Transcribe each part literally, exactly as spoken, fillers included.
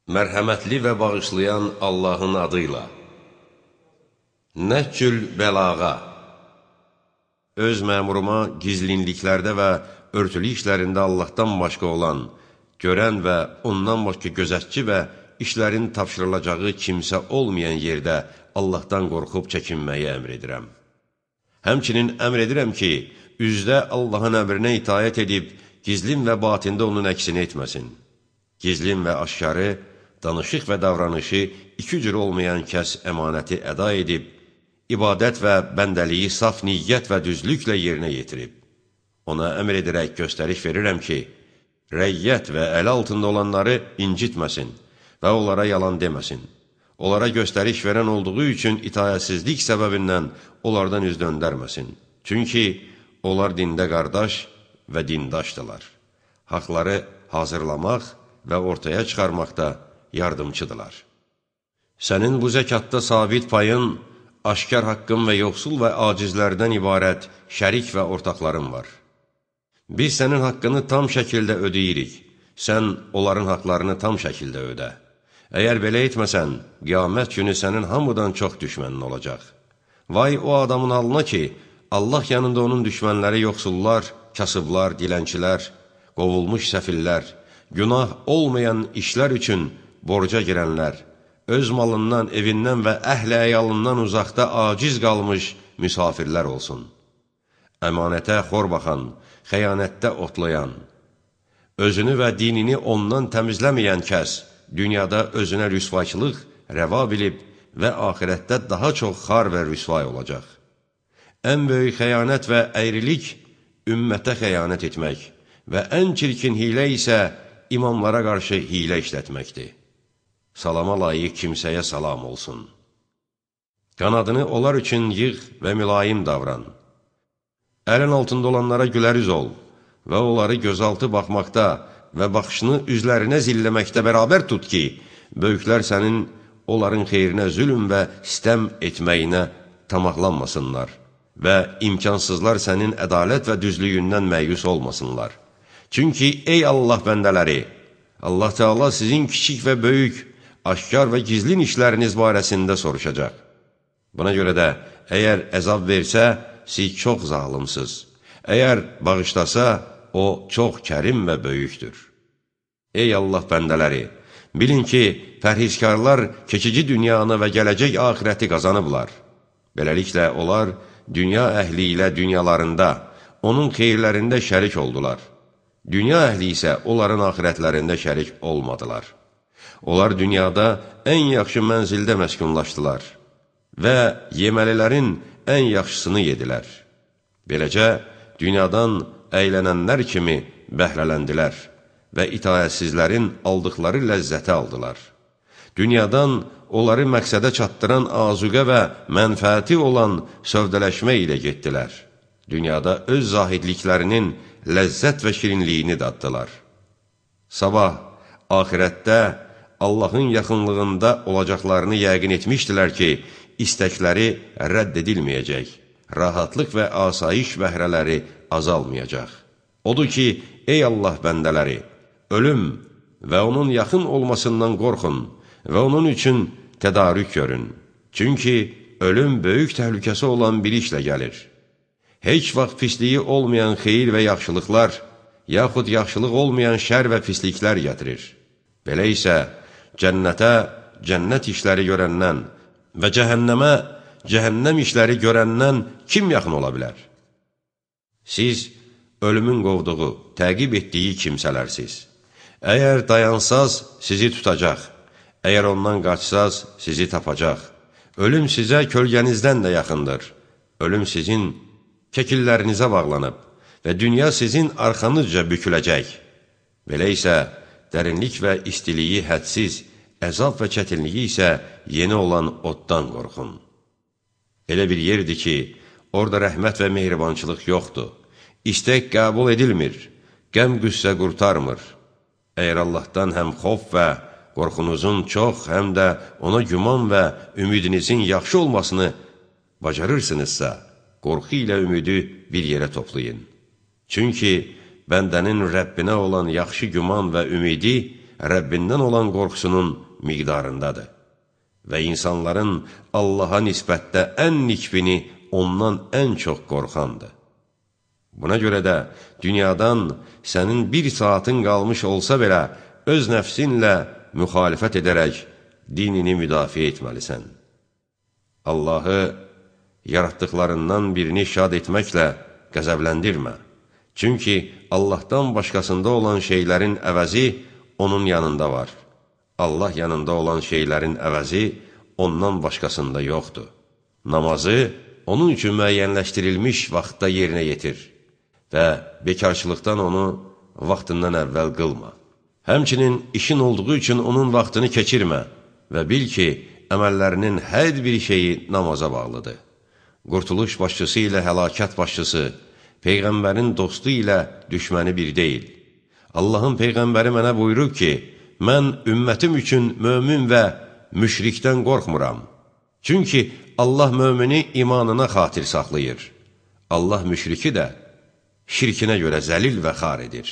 Mərhəmətli və bağışlayan Allahın adıyla. Nəhcül bəlağa. Öz məmuruma gizlinliklərdə və örtülü işlərində Allahdan başqa olan, görən və ondan başqa gözətçi və işlərin tapşırılacağı kimsə olmayan yerdə Allahdan qorxub çəkinməyi əmr edirəm. Həmçinin əmr edirəm ki, üzdə Allahın əmrinə itayət edib, gizlin və batində onun əksini etməsin. Gizlin və aşkarı, danışıq və davranışı iki cür olmayan kəs əmanəti əda edib, ibadət və bəndəliyi saf niyyət və düzlüklə yerinə yetirib. Ona əmr edərək göstəriş verirəm ki, rəyyət və əl altında olanları incitməsin və onlara yalan deməsin. Onlara göstəriş verən olduğu üçün itayətsizlik səbəbindən onlardan üz döndərməsin. Çünki onlar dində qardaş və dindaşdırlar. Haqları hazırlamaq və ortaya çıxarmaqda yardımçıdırlar. Sənin bu zəkatda sabit payın, aşkar haqqın və yoxsul və acizlərdən ibarət şərik və ortaqların var. Biz sənin haqqını tam şəkildə ödeyirik, sən onların haqlarını tam şəkildə ödə. Əgər belə etməsən, qiyamət günü sənin hamıdan çox düşmənin olacaq. Vay o adamın halına ki, Allah yanında onun düşmənləri yoxsullar, kasıblar, dilənçilər, qovulmuş səfillər, günah olmayan işlər üçün borca girənlər, öz malından, evindən və əhl-i əyalından uzaqda aciz qalmış müsafirlər olsun. Əmanətə xor baxan, xəyanətdə otlayan, özünü və dinini ondan təmizləməyən kəs, dünyada özünə rüsvayçılıq rəva bilib və axirətdə daha çox xar və rüsvay olacaq. Ən böyük xəyanət və əyrilik ümmətə xəyanət etmək və ən çirkin hilə isə imamlara qarşı hilə işlətməkdir. Salama layiq kimsəyə salam olsun. Qanadını onlar üçün yığ və mülayim davran. Əlin altında olanlara güləriz ol və onları gözaltı baxmaqda və baxışını üzlərinə zilləməkdə bərabər tut ki, böyüklər sənin onların xeyrinə zülm və istəm etməyinə tamaqlanmasınlar və imkansızlar sənin ədalət və düzlüyündən məyus olmasınlar. Çünki ey Allah bəndələri, Allah Teala sizin kiçik və böyük, aşkar və gizlin işləriniz barəsində soruşacaq. Buna görə də, əgər əzab versə, siz çox zalımsız. Əgər bağışlasa, o çox kərim və böyükdür. Ey Allah bəndələri, bilin ki, pərhizkarlar keçici dünyanı və gələcək axirəti qazanıblar. Beləliklə, onlar dünya əhli ilə dünyalarında, onun xeyirlərində şərik oldular. Dünya əhli isə onların axirətlərində şərik olmadılar. Onlar dünyada ən yaxşı mənzildə məskunlaşdılar və yeməlilərin ən yaxşısını yedilər. Beləcə, dünyadan əylənənlər kimi bəhrələndilər və itayətsizlərin aldıqları ləzzəti aldılar. Dünyadan onları məqsədə çatdıran azuqə və mənfəəti olan sövdələşmə ilə getdilər. Dünyada öz zahidliklərinin ləzzət və şirinliyini daddılar. Sabah, axirətdə Allahın yaxınlığında olacaqlarını yəqin etmişdilər ki, istəkləri rədd edilməyəcək, rahatlıq və asayiş bəhrələri azalmayacaq. Odur ki, ey Allah bəndələri, ölüm və onun yaxın olmasından qorxun və onun üçün tədarük görün. Çünki ölüm böyük təhlükəsi olan bir işlə gəlir. Heç vaxt pisliyi olmayan xeyir və yaxşılıqlar, yaxud yaxşılıq olmayan şər və pisliklər gətirir. Belə isə, cənnətə cənnət işləri görəndən və cəhənnəmə cəhənnəm işləri görəndən kim yaxın ola bilər? Siz ölümün qovduğu, təqib etdiyi kimsələrsiniz. Əgər dayansaz, sizi tutacaq. Əgər ondan qaçsaz, sizi tapacaq. Ölüm sizə kölgənizdən də yaxındır. Ölüm sizin kəkillərinizə bağlanıb və dünya sizin arxanızca büküləcək. Belə isə, dərinlik və istiliyi hədsiz, əzab və çətinliyi isə yeni olan oddan qorxun. Elə bir yerdir ki, orada rəhmət və mehribançılıq yoxdur. İstək qəbul edilmir, qəm qüssə qurtarmır. Əgər Allahdan həm xof və qorxunuzun çox, həm də ona güman və ümidinizin yaxşı olmasını bacarırsınızsa, qorxu ilə ümidi bir yerə toplayın. Çünki bəndənin Rəbbinə olan yaxşı güman və ümidi Rəbbindən olan qorxusunun miqdarındadır. Və insanların Allaha nisbətdə ən nikbini ondan ən çox qorxandır. Buna görə də dünyadan sənin bir saatın qalmış olsa belə, öz nəfsinlə müxalifət edərək dinini müdafiə etməlisən. Allahı yaratdıqlarından birini şad etməklə qəzəbləndirmə. Çünki Allahdan başqasında olan şeylərin əvəzi onun yanında var. Allah yanında olan şeylərin əvəzi ondan başqasında yoxdur. Namazı onun üçün müəyyənləşdirilmiş vaxtda yerinə yetir və bekarçılıqdan onu vaxtından əvvəl qılma. Həmçinin işin olduğu üçün onun vaxtını keçirmə və bil ki, əməllərinin hər bir şeyi namaza bağlıdır. Qurtuluş başçısı ilə həlakət başçısı, Peyğəmbərin dostu ilə düşməni bir deyil. Allahın Peyğəmbəri mənə buyurub ki, mən ümmətim üçün mömin və müşrikdən qorxmuram. Çünki Allah mömini imanına xatir saxlayır. Allah müşriki də şirkinə görə zəlil və xar edir.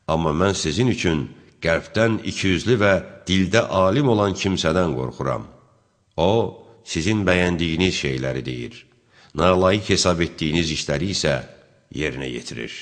Amma mən sizin üçün qəlbdən ikiyüzlü və dildə alim olan kimsədən qorxuram. O, sizin bəyəndiyiniz şeyləri deyir. Nalayiq hesab etdiyiniz işləri isə yerinə yetirir.